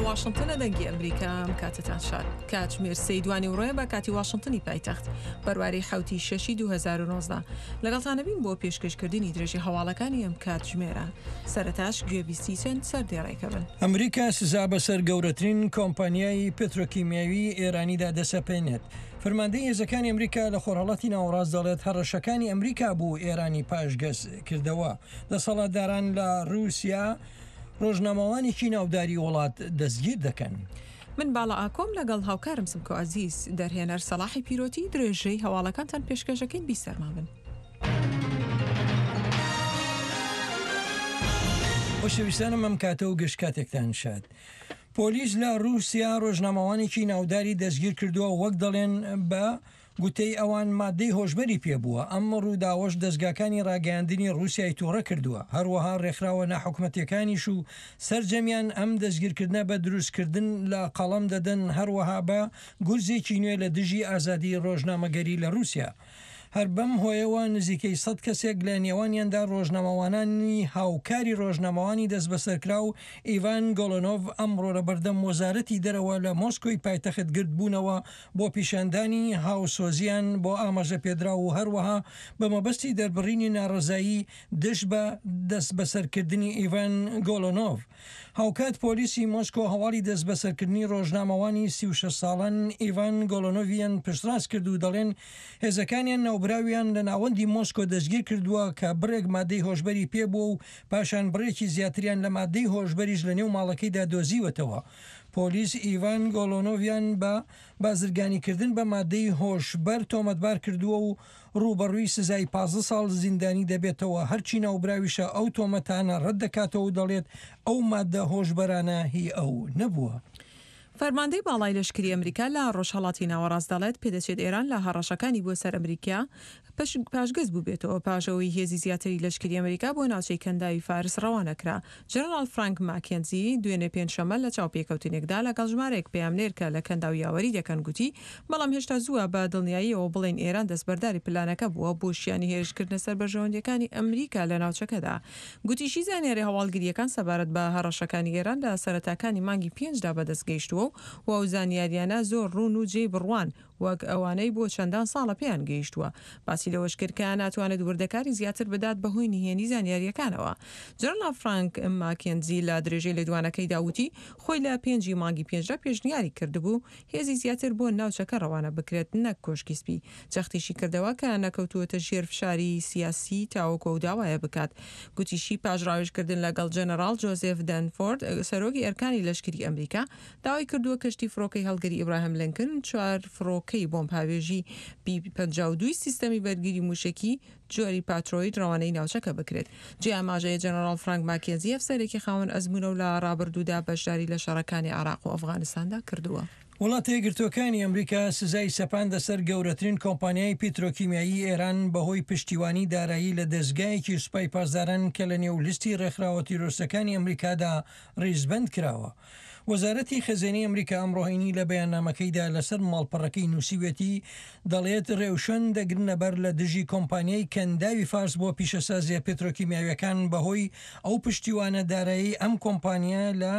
واشنتنە دەنگی ئەمریکا ئەم کاتەتان شاد. کاتژمێر سێی دوانی وڕێ بە کاتی واشنتنی پایتەخت بەرواری حەوتی شەشی 2019 لەگەڵتانەبین بۆ پێشکەشکردنی درێژی هەواڵەکانی ئەم کاتژمێرە. سەرەتاش گوێبیستی چەند سەردێڕێکە بن. ئەمریکا سزا بەسەر گەورەترین کۆمپانیای پترۆکیمیاوی ئێرانیدا دەسەپێنێت. فەرماندەی هێزەکانی ئەمریکا لە خۆرهەڵاتی ناوەڕاست دەڵێت هەڕەشەکانی ئەمریکا بوو ئێرانی پاشگەز کردەوە. دەسەڵاتداران لە رووسیا رۆژنامەوانێکی ناوداری وڵات دەستگیر دەکەن. من باڵا ئاکۆم لەگەڵ هاوکارم سمکۆ عەزیز، دەرهێنەر سەڵاحی پیرۆتی درێژەی هەواڵەکانتان پێشکەش دەکەین بیسەرمان بن. خۆشەویستانم ئەم کاتە و گشت کاتێکتان شاد. پۆلیس لە رووسیا رۆژنامەوانێکی ناوداری دەستگیر کردووە وەک دەڵێن بە گوتەی ئەوان ماددەی هۆشبەری پێبووە، ئەم ڕووداوەش دەزگاکانی ڕاگەیاندنی ڕووسیای توڕە کردووە، هەروەها ڕێکخراوە ناحکومەتیەکانیش و سەرجەمیان ئەم دەستگیرکردنە بە دروستکردن لە قەڵەم دەدەن، هەروەها بە گورزێکی نوێ لە دژی ئازادی ڕۆژنامەگەری لە ڕووسیا. هەر بەم هۆیەوە نزیکەی سەد کەسێک لە نێوانیاندا ڕۆژنامەوانانی هاوکاری ڕۆژنامەوانی دەستبەسەرکراو ئیڤان گۆلۆنۆڤ ئەمڕۆ لە بەردەم وەزارەتی دەرەوە لە مۆسکۆی پایتەخت گردبوونەوە بۆ پیشاندانی هاوسۆزیان بۆ ئاماژەپێدراو و هەروەها بە مەبەستی دەربڕینی ناڕەزایی دژ بە دەستبەسەرکردنی ئیڤان گۆلۆنۆڤ. هاوکات پۆلیسی مۆسکۆ هەواڵی دەستبەسەرکردنی ڕۆژنامەوانی 36 ساڵان ئیڤان گۆلۆنۆڤیان پشتڕاست کرد و دەڵێن هێزەکانیان ناوبراویان لە ناوەندی مۆسکۆ دەستگیر کردووە کە بڕێک مادەی هۆشبەری پێبووە و پاشان بڕێکی زیاتریان لە مادەی هۆشبەریش لەنێو ماڵەکەیدا دۆزیوەتەوە. پۆلیس ئیڤان گۆلۆنۆڤیان بە بازرگانیکردن بە مادەی هۆشبەر تۆمەتبار کردووە و ڕووبەڕووی سزای 15 ساڵ زیندانی دەبێتەوە، هەرچی ناوبراویشە ئەو تۆمەتانە ڕەتدەکاتەوە و دەڵێت ئەو مادە هۆشبەرانە هی ئەو نەبووە. فەرماندەی باڵای لەشکری ئەمریکا لە ڕۆژهەڵاتی ناوەڕاست دەڵێت، پێدەچێت ئێران لە هەڕەشەکانی بۆ سەر ئەمریکا پاشگەز بووبێتەوە پاش ئەوەی هێزی زیاتری لەشکری ئەمریکا بۆ ناوچەی کەنداوی فارس ڕەوانە کرا. جەنەڕاڵ فرانک ماکێنزی دوێنێ پێنجشەممە لە چاوپێکەوتنێکدا لەگەڵ ژمارەیەک پەیامنێر کە لە کەنداو یاوەری دەکەن گوتی، بەڵام هێشتا زووە بە دڵنیاییەوە بڵێین ئێران دەستبەرداری پلانەکە بووە بۆ شیانی هێرشکردنە سەر بەرژەوەندییەکانی ئەمریکا لە ناوچەکەدا. گوتیشی زانیاریە هەواڵگرییەکان سەبارەت بە هەڕەشەکانی ئێران لە سەرەتاکانی مانگی پێنجدا بەدەست گەیشتووە و ئەو زانیاریانە زۆر ڕوون و جێی بڕوان وەک ئەوانەی بۆ چەندان ساڵە پێیان گەیشتووە. باسی لەوەش کرد کە ناتوانێت وردەکاری زیاتر بدات بەهۆی نهێنی زانیارییەکانەوە. جەنەڕاڵ فرانک ماکێنزی لە درێژەی لێدوانەکەیدا وتی، خۆی لە پێنجی مانگی پێنجدا پێشنیاری کردبوو هێزی زیاتر بۆ ناوچەکە ڕەوانە بکرێت نەک کۆشکی سپی. جەختیشی کردەوە کە نەکەوتووەتە ژێر فشاری سیاسی تاوەکو ئەو داوایە بکات. گوتیشی پاش ڕاوێژکردن لەگەڵ جەنەڕاڵ جۆزێف دەنفۆرد سەرۆکی ئەرکانی لەشکری ئەمریکا، داوای کردووە کەشتی فڕۆکەی هەڵگری ئیبراهیم لینکن چوار فڕۆکەی بۆمبهاوێژی بی 52 سیستەمی بەرگری مووشەکی جۆری پاترۆید ڕەوانەی ناوچەکە بکرێت. جێی ئاماژەیە جەنەڕاڵ فرانک ماکێنزی ئەفسەرێکی خاوەن ئەزموونە و لە ڕابردوودا بەشداری لە شەڕەکانی عێراق و ئەفغانستاندا کردووە. وڵاتە یەکگرتووەکانی ئەمریکا سزای سەپاندە سەر گەورەترین کۆمپانیای پیترۆکیمیایی ئێران بەهۆی پشتیوانی دارایی لە دەزگایەکی سوپای پاسداران کە لەنێو لیستی ڕێکخراوە تیرۆرستەکانی ئەمریکادا ڕیزبەند کراوە. وەزارەتی خەزێنەی ئەمریکا ئەمڕۆ هەینی لە بەیاننامەکەیدا لەسەر ماڵپەڕەکەی نووسیویەتی، دەڵێت رێوشوێن دەگرنەبەر لە دژی کۆمپانیای کەنداوی فارس بۆ پیشەسازییە پترۆکیمیاویەکان بەهۆی ئەو پشتیوانە دارایەی ئەم کۆمپانیایە لە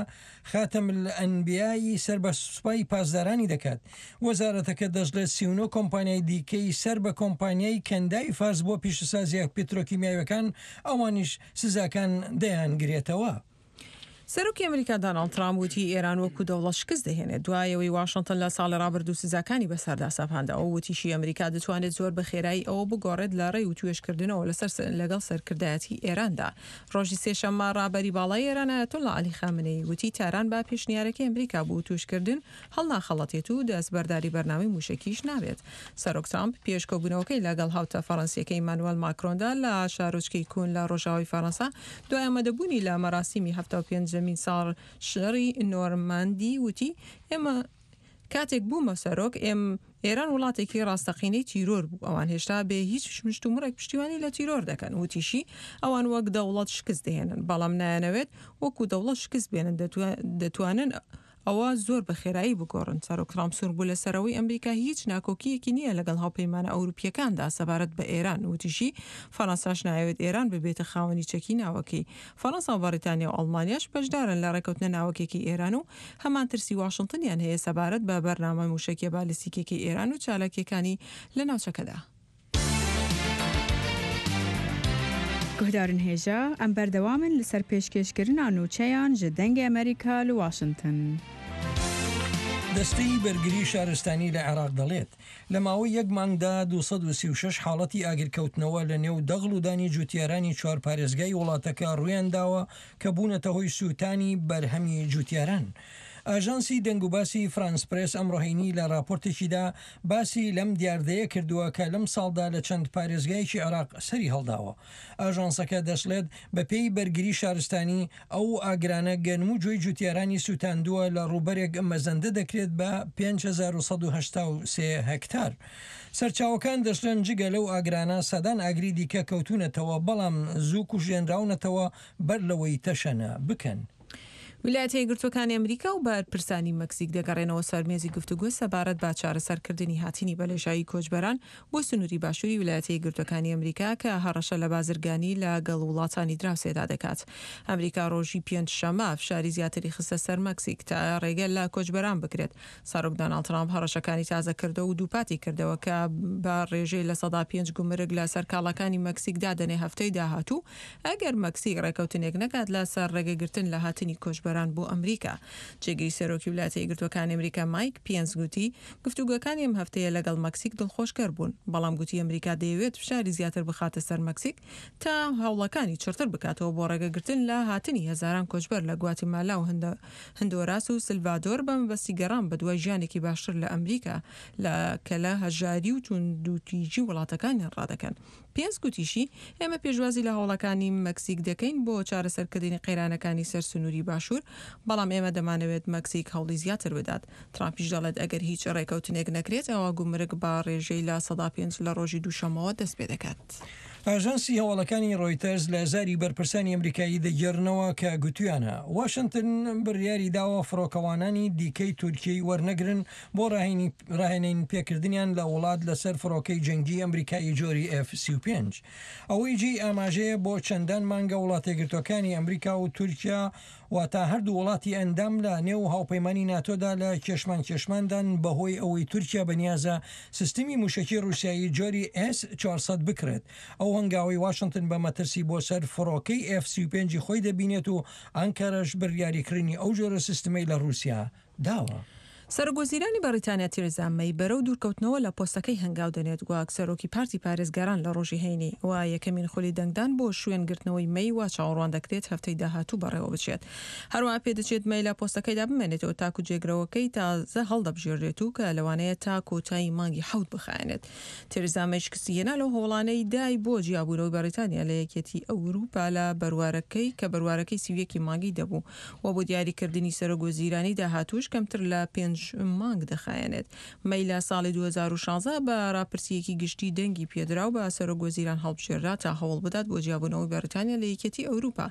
خاتم الانبیا ی سەر بە سوپای پاسدارانی دەکات. وەزارەتەکە دەشڵێت 39 کۆمپانیای دیکەی سەر بە کۆمپانیای کەنداوی فارس بۆ پیشەسازییە پترۆکیمیاویەکان ئەوانیش سزاکان دەیانگرێتەوە. سەرۆکی ئەمریکا داناڵد ترامپ وتی ئێران وەکو دەوڵەت شکست دەهێنێت دوای ئەوەی واشنتن لە ساڵی ڕابردوو سزاکانی بەسەردا سەپاند. ئەو وتیشی ئەمریکا دەتوانێت زۆر بە خێرایی ئەوە بگۆڕێت لە ڕێی وتوێژکردنەوە لەسەر لەگەڵ سەرکردایەتی ئێراندا. ڕۆژی سێشەممە ڕابەری باڵای ئێران ئایەتوڵڵا عەلی خامنەیی وتی تاران بە پێشنیارەکەی ئەمریکا بۆ وتوێژکردن هەڵناخەڵەتێت و دەستبەرداری بەرنامەی مووشەکیش نابێت. سەرۆک ترامپ پێش کۆبوونەوەکەی لەگەڵ هاوتا فەڕەنسییەکەی ئیمانوێل ماکرۆندا لە شارۆچکەی کون لە ڕۆژاوای فەڕەنسا دوای ئامادەبوونی لە مەراسیمی 75مین ساڵ شەڕی نۆرماندی وتی ئێمە کاتێک بوومە سەرۆک ئێم ئێران وڵاتێکی ڕاستەقینەی تیرۆر بوو ئەوان هێشتا بێ هیچ مشتومڕێک پشتیوانی لە تیرۆر دەکەن وتیشی ئەوان وەک دەوڵەت شکست دەهێنن بەڵام نایانەوێت وەکو دەوڵەت شکست بێنن دەتوانن. ئەوە زۆر بە خێرایی بگۆڕن. سەرۆک ترامپ سوور بوو لەسەر ئەوەی ئەمریکا هیچ ناکۆکییەکی نییە لەگەڵ هاوپەیمانە ئەوروپییەکاندا سەبارەت بە ئێران، وتیشی، فەرەنساش نایەوێت ئێران ببێتە خاوەنی چەکی ناوەکی. فەرەنسا و بەڕیتانیا و ئەڵمانیاش بەشدارن لە ڕێکەوتنە ناوەکیەکەی ئێران و هەمان ترسی واشنتنیان هەیە سەبارەت بە بەرنامە موشەکیە بالیستیکیەکەی ئێران و چالاکیەکانی لە ناوچەکەدا. Guhdarên hêja, em berdewam in li ser pêşkêşkirina nûçeyan ji Dengê Amerîka li Washington. دەستەی بەرگری شارستانی لە عێراق دەڵێت، لە ماوەی یەک مانگدا 236 حاڵەتی ئاگرکەوتنەوە لە نێو دەغڵ و دانی جوتیارانی چوار پارێزگای وڵاتەکە ڕوویانداوە کە بوونەتە هۆی سووتانی بەرهەمی جوتیاران. ئاژانسی دەنگوباسی فرانس پرێس ئەمڕۆ هەینی لە ڕاپۆرتێکیدا باسی لەم دیاردەیە کردووە کە لەم ساڵدا لە چەند پارێزگایەکی عێراق سەری هەڵداوە. ئاژانسەکە دەشڵێت، بەپێی بەرگری شارستانی، ئەو ئاگرانە گەنم و جۆی جوتیارانی سوتاندووە لە ڕووبەرێک مەزەندە دەکرێت بە 5183 هێکتار. سەرچاوەکان دەشڵێن جگە لەو ئاگرانە سەدان ئاگری دیکە کەوتوونەتەوە، بەڵام زوو کوژێنراونەتەوە بەر لەوەی تەشەنە بکەن. ویلایەتە یەکگرتووەکانی ئەمریکا و بەرپرسانی مەکسیک دەگەڕێنەوە سەر مێزی گفتوگۆ سەبارەت بە چارەسەرکردنی هاتنی بەلێژایی کۆچبەران بۆ سنووری باشووری ویلایەتە یەکگرتووەکانی ئەمریکا کە هەڕەشە لە بازرگانی لە گەڵ وڵاتانی دراوسێدا دەکات. ئەمریکا ڕۆژی پێنجشەممە فشاری زیاتری خستە سەر مەکسیک تا ڕێگە لە کۆچبەران بگرێت. سەرۆک دۆناڵد ترامپ هەڕەشەکانی تازە کردەوە و دووپاتی کردەوە کە بە ڕێژەی 5% گومرگ لە سەر کاڵاکانی مەکسیک دادەنێ هەفتەی داهاتوو ئەگەر مەکسیک ڕێکەوتنێک نەکات لە سەر ڕێگەگرتن لە هاتنی کۆچبەران بۆ ئەمریکا. جێگری سەرۆکی ولایەتە یەکگرتووەکانی ئەمریکا مایک پێنس گوتی گفتوگۆکانی ئەم هەفتەیە لەگەڵ مەکسیک دڵخۆشکەر بوون، بەڵام گوتی ئەمریکا دەیەوێت فشاری زیاتر بخاتە سەر مەکسیک تا هەوڵەکانی چڕتر بکاتەوە بۆ ڕێگەگرتن لە هاتنی هەزاران کۆچبەر لە گواتیمالا و هندۆراس و سلڤادۆر بە مەبەستی گەڕان بەدوای ژیانێکی باشتر لە ئەمریکا لە کە لە هەژاری و توندوتیژی وڵاتەکانیان ڕادەکەن. پێنس گوتیشی، ئێمە پێشوازی لە هەوڵەکانی مەکسیک دەکەین بۆ چارەسەرکردنی قەیرانەکانی سەر سنووری باشوور، بەڵام ئێمە دەمانەوێت مەکسیک هەوڵی زیاتر بدات. ترامپیش دەڵێت ئەگەر هیچ ڕێکەوتنێک نەکرێت ئەوا گومرگ بە ڕێژەی 5% لە ڕۆژی دووشەممەوە دەستپێدەکات. ئاژانسی هەواڵەکانی ڕۆیتەرز لە زاری بەرپرسانی ئەمریکایی دەگێڕنەوە کە گوتویانە، واشنتن بڕیاری داوە فڕۆکەوانانی دیکەی تورکیەی وەرنەگرن بۆ ڕاهێنین پێکردنیان لە وڵات لەسەر فڕۆکەی جەنگی ئەمریکایی جۆری ئێف 35. ئەوەی جێی ئاماژەیە بۆ چەندان مانگە وڵاتەیەکگرتووەکانی ئەمریکا و تورکیا واتا هەردوو وڵاتی ئەندام لە نێو هاوپەیمانی ناتۆدا لە کێشمان کێشماندان بەهۆی ئەوەی تورکیا بەنیازە سیستمی موشەکی ڕوسیایی جۆری ئێس 400 بکڕێت. ئەو هەنگاوەی واشنتن بە مەترسی بۆ سەر فڕۆکەی ئێف 35 ی خۆی دەبینێت و ئانکەرەش بڕیاری کڕینی ئەو جۆرە سیستمەی لە ڕوسیا داوە. سەرۆکوەزیرانی بەڕیتانیا تێرێزا مەی بەرەو دوورکەوتنەوە لە پۆستەکەی هەنگاو دەنێت وەک سەرۆکی پارتی پارێزگاران لە ڕۆژی هەینی و یەکەمین خولی دەنگدان بۆ شوێن گرتنەوەی مەی وا چاوەڕوان دەکرێت هەفتەی داهاتوو بەڕێوەبچێت. هەروەها پێدەچێت مەی لە پۆستەکەیدا بمێنێتەوە تاکو جێگرەوەکەی تازە هەڵدەبژێرێت و کە لەوانەیە تا کۆتایی مانگی حەوت بخایەنێت. تێرێزا مەی شکستی هێنا لەو هەوڵانەی دای بۆ جیابوونەوەی بەڕیتانیا لە یەکێتی ئەوروپا لە بەروارەکەی کە بەروارەکەی 31 ی مانگی دەبوو و بۆ دیاریکردنی سەرۆک وەزیرانی داهاتووش کەمتر لە پێنج مانگ دەخایەنێت. مەی لە ساڵی 2016 بە راپرسییەکی گشتی دەنگی پێدرا و بە سەرۆک وەزیران هەڵبژێررا تا هەوڵ بدات بۆ جیابوونەوەی بەڕیتانیا لە یەکێتی ئەوروپا.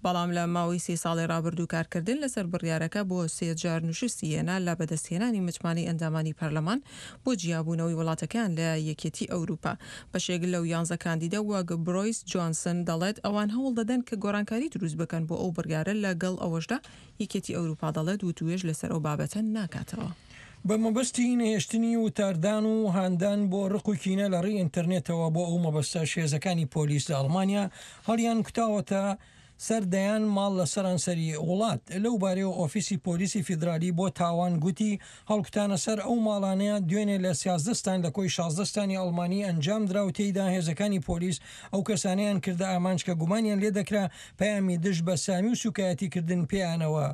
بەڵام لە ماوەی سێ ساڵی رابردوو کارکردن لەسەر بڕیارەکە بۆ سێ جار نوشستی هێنا لە بەدەستهێنانی متمانەی ئەندامانی پەرلەمان بۆ جیابوونەوەی وڵاتەکەیان لە یەکێتی ئەوروپا. بەشێک لەو یانزە کاندیدە وەک برۆیس جۆنسن دەڵێت ئەوان هەوڵ دەدەن کە گۆڕانکاری دروست بکەن بۆ ئەو بڕیارە لەگەڵ ئەوەشدا یەکێتی ئەوروپا دەڵێت وتووێژ لەسەر ئەو بابەتە ناکاتەوە. بە مەبەستی نەهێشتنی وتاردان و هاندان بۆ ڕق و کینە لە ڕێی ئینتەرنێتەوە بۆ ئەو مەبەستەش هێزەکانی پۆلیس لە ئەڵمانیا هەڵیان کوتاوەتە سەر دەیان ماڵ لە سەرانسەری وڵات. لەو بارەیەوە ئۆفیسی پۆلیسی فیدرالی بۆ تاوان گوتی، هەڵکوتانە سەر ئەو ماڵانە دوێنێ لە 13 ستان لە کۆی 16 ستانی ئەڵمانی ئەنجامدرا و تێیدا هێزەکانی پۆلیس ئەو کەسانەیان کردە ئامانج کە گومانیان لێدەکرا پەیامی دژ بە سامی و سوکایەتیکردن پێیانەوە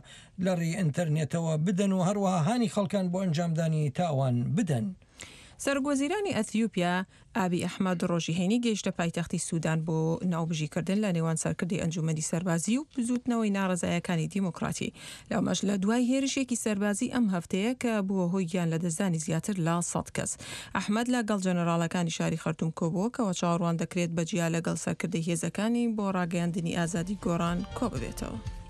لە ڕێی ئینتەرنێتەوە بدەن و هەروەها هانی خەڵکان بۆ ئەنجامدانی تاوان بدەن. سەرۆکوەزیرانی ئەثیوپیا، ئابی ئەحمەد ڕۆژی هەینی گەیشتە پایتەختی سودان بۆ ناوبژیکردن لە نێوان سەرکردەی ئەنجومەنی سەربازی و بزووتنەوەی ناڕەزایەکانی دیموکراتی، لەمەش لە دوای هێرشێکی سەربازی ئەم هەفتەیە کە بووە هۆی گیان لەدەستدانی زیاتر لە 100 کەس. ئەحمەد لە گەڵ جەنەراڵەکانی شاری خەرتوم کۆبووە کەوا چاوەڕوان دەکرێت بە جیا لەگەڵ سەرکردەی هێزەکانی بۆ ڕاگەیاندنی ئازادی گۆڕان کۆببێتەوە.